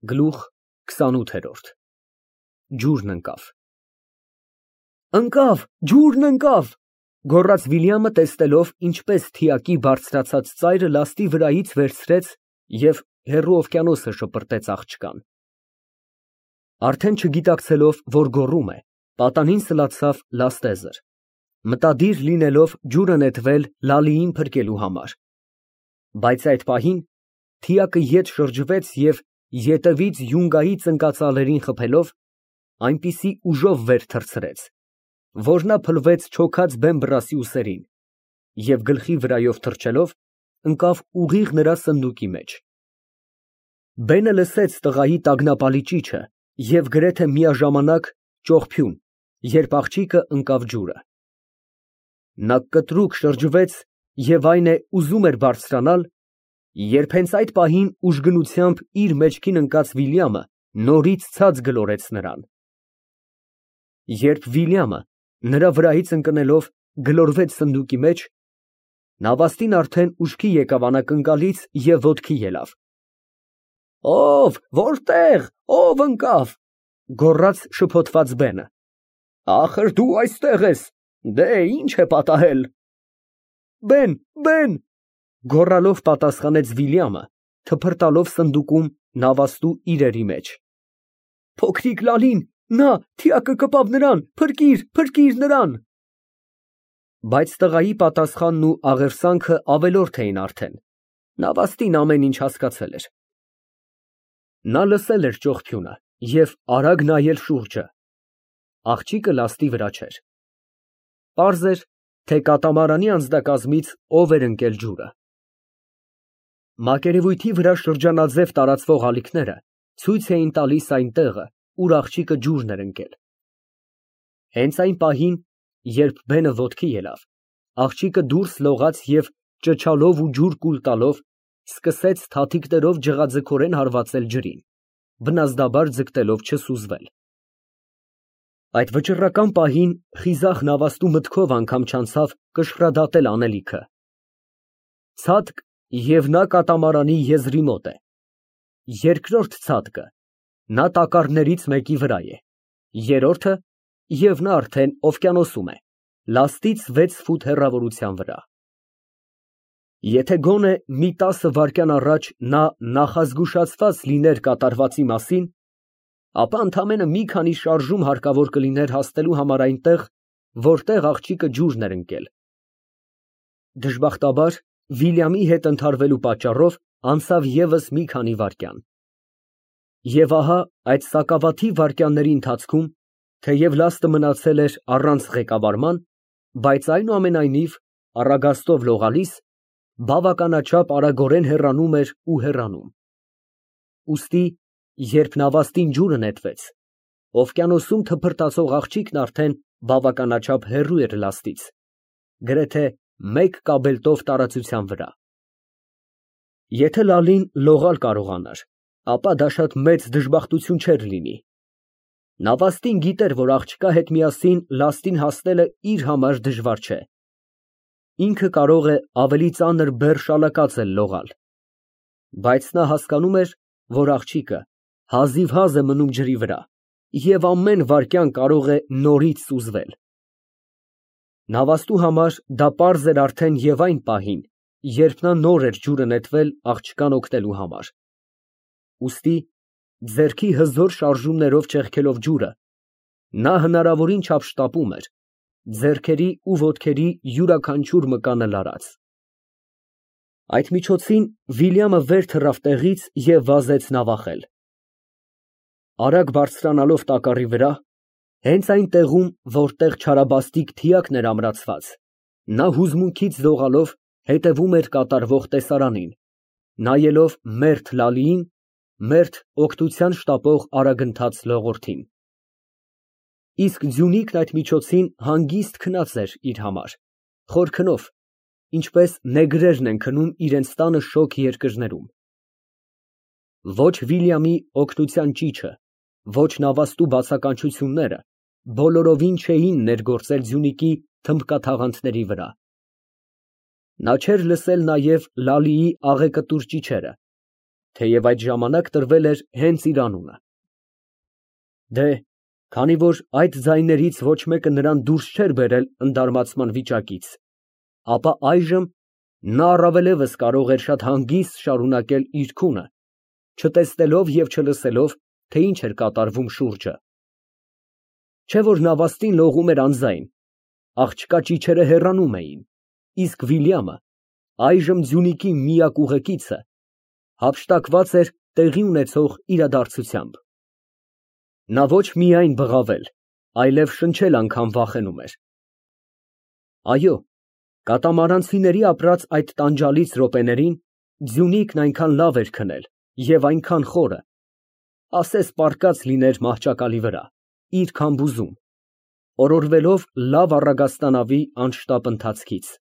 Գլուխ քսանութերորդ Ջուրն ընկավ։ Ընկավ, ջուրն ընկավ, գոռաց Վիլյամը, տեսնելով, ինչպես թիակի բարձրացած ծայրը լաստի վրայից վերցրեց և հեռու օվկիանոսը շպրտեց աղջկան։ Արդեն չգիտակցելով, որ գոռում է, պատանին սլացավ լաստեզր, մտադիր լինելով ջուրը նետվել Լալիին փրկելու համար։ Բայց այդ պահին թիակը ետ շրջվեց և ետևից յունգայի ծնկածալերին խփելով, այնպիսի ուժով վեր թռցրեց, որ նա փլվեց չոքած բեմբռասի ուսերին և գլխի վրայով թռչելով, ընկավ ուղիղ նրա սնդուկի մեջ։ Բենը լսեց տղայի տագնապալի ճիչը և գրեթե միաժամանակ ճողփյուն, երբ աղջիկը ընկավ ջուրը։ Նա կտրուկ շրջվեց և այն է ուզում էր բարձրանալ, երբ հենց այդ պահին ուժգնությամբ իր մեջքին ընկած Վիլյամը նորից ցած գլորեց նրան։ Երբ Վիլյամը նրա վրայից ընկնելով գլորվեց սնդուկի մեջ, նավաստին արդեն ուշքի եկավ անակնկալից և ոտքի ելավ։ Ո՞վ, որտե՞ղ, ո՞վ ընկավ, գոռաց շփոթված բենը։ Ախր դու այստեղ ես, դե ի՞նչ է պատահել։ Բեն, գոռալով պատասխանեց Վիլյամը, թփրտալով սնդուկում նավաստու իրերի մեջ։ Փոքրիկ Լալին, նա, թիակը կպավ նրան, փրկիր նրան։ Բայց տղայի պատասխանն ու աղերսանքը ավելորդ էին արդեն, նավաստին ամեն ինչ հասկացել էր։ Նա լսել էր ճողփյունը և արագ նայել շուրջը։ Աղջիկը լաստի վրա չէր։ Պարզ էր, թե կատամարանի անձնակազմից ով էր ընկել ջուրը։ Մակերևույթի վրա շրջանաձև տարածվող ալիքները ցույց էին տալիս այն տեղը, ուր աղջիկը ջուրն էր ընկել։ Հենց այն պահին, երբ բենը ոտքի ելավ, աղջիկը դուրս լողաց և ճչալով ու ջուր կուլ տալով սկսեց թաթիկներով ջղաձգորեն հարվածել ջրին, բնազդաբար ձգտելով չսուզվել։ Այդ վճռական պահին խիզախ նավաստու մտքով անգամ չանցավ կշռադատել անելիքը։ Ցատկ, և նա կատամարանի եզրի մոտ է։ Երկրորդ ցատկը, նա տակառներից մեկի վրա է։ Երրորդը, և նա արդեն օվկիանոսում է, լաստից 6 ֆուտ հեռավորության վրա։ Եթե գոնե մի 10 վայրկյան առաջ նա նախազգուշացված լիներ կատարվածի մասին, ապա ընդամենը մի քանի շարժում հարկավոր կլիներ հասնելու համար այնտեղ, որտեղ աղջիկը ջուրն էր ընկել։ Դժբախտաբար, Վիլյամի հետ ընդհարվելու պատճառով անցավ ևս մի քանի վայրկյան։ Եվ ահա այդ սակավաթիվ վայրկյանների ընթացքում, թեև լաստը մնացել էր առանց ղեկավարման, բայց այնուամենայնիվ, առագաստով լողալիս, բավականաչափ արագորեն հեռանում էր ու հեռանում։ Ուստի, երբ նավաստին ջուրը նետվեց, օվկիանոսում թփրտացող աղջիկն արդեն բավականաչափ հեռու էր լաստից, գրեթե 1 կաբելտով տարածության վրա։ Եթե Լալին լողալ կարողանար, ապա դա շատ մեծ դժբախտություն չէր լինի։ Նավաստին գիտեր, որ աղջկա հետ միասին լաստին հասնելը իր համար դժվար չէ։ Ինքը կարող է ավելի ծանր բեռ շալակած էլ լողալ։ Բայց նա հասկանում էր, որ աղջիկը հազիվհազ է մնում ջրի վրա և ամեն վայրկյան կարող է նորից սուզվել։ Նավաստու համար դա պարզ էր արդեն և այն պահին, երբ նա նոր էր ջուրը նետվել աղջկան օգնելու համար։ Ուստի, ձեռքի հզոր շարժումներով ճեղքելով ջուրը, նա հնարավորին չափ շտապում էր, ձեռքերի ու ոտքերի յուրաքանչյուր մկանը լարած։ Այդ միջոցին Վիլյամը վեր թռավ տեղից և վազեց նավախել։ Արագ բարձրանալով տակառի վրա, հենց այն տեղում, որտեղ չարաբաստիկ թիակն էր ամրացված, նա հուզմունքից դողալով հետևում էր կատարվող տեսարանին, նայելով մերթ Լալիին, մերթ օգնության շտապող արագընթաց լողորդին։ Իսկ Ձյունիկն այդ միջոցին հանգիստ քնած էր իր համար, խոր քնով, ինչպես նեգրերն են քնում իրենց տանը շոգ երկրներում։ Ոչ Վիլյամի օգնության ճիչը, ոչ նավաստու բացականչությունները բոլորովին չէին ներգործել Ձյունիկի թմբկաթաղանթների վրա։ Նա չէր լսել նաև Լալիի աղեկտուր ճիչերը, թեև այդ ժամանակ տրվել էր հենց իր անունը։ Դե, քանի որ այդ ձայներից ոչ մեկը նրան դուրս չէր բերել ընդարմացման վիճակից, ապա այժմ նա առավելևս կարող էր շատ հանգիստ շարունակել իր քունը, չտեսնելով և չլսելով, թե ինչ էր կատարվում շուրջը։ Չէ որ նավաստին լողում էր անձայն, աղջկա ճիչերը հեռանում էին, իսկ Վիլյամը, այժմ Ձյունիկի միակ ուղեկիցը, հափշտակված էր տեղի ունեցող իրադարձությամբ։ Նա ոչ միայն բղավել, այլև շնչել անգամ վախենում էր։ Այո, կատամարանցիների ապրած այդ տանջալից րոպեներին Ձյունիկն այնքան լավ էր քնել և այնքան խորը, ասես պառկած լիներ մահճակալի վրա, իր քամբուզում, օրորվելով լավ առագաստանավի անշտապ ընթացքից։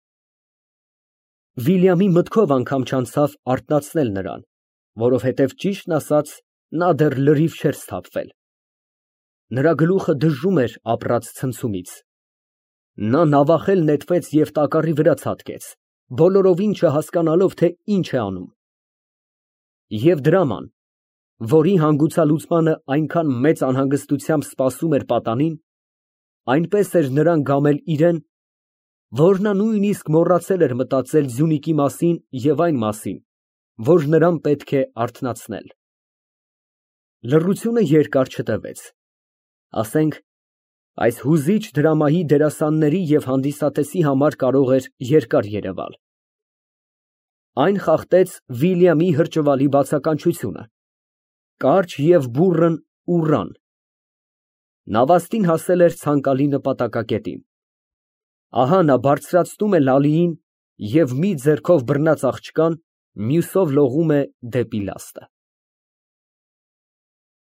Վիլյամի մտքով անգամ չանցավ արթնացնել նրան, որովհետև ճիշտն ասած, նա դեռ լրիվ չէր սթափվել։ Նրա գլուխը դժում էր ապրած ցնցումից։ Նա նավախել նետվեց և տակառի վրա ցատկեց, բոլորովին չհասկանալով, թե ինչ է անում։ Եվ դրաման, որի հանգուցալուծմանը այնքան մեծ անհանգստությամբ սպասում էր պատանին, այնպես էր նրան գամել իրան, որ նա նույնիսկ մոռացել էր մտածել Ձյունիկի մասին և այն մասին, որ նրան պետք է արթնացնել։ Լռությունը երկար չտևեց, ասենք, այս հուզիչ դրամայի դերասանների և հանդիսատեսի համար կարող էր երկար երևալ։ Այն խախտեց Վիլյամի հրճվալի բացականչությունը, կարճ և բուռն ուռան։ Նավաստին հասել էր ցանկալի նպատակակետին։ Ահա նա բարձրացնում է լալիին և մի ձեռքով բռնած աղջկան, մյուսով լողում է դեպի լաստը։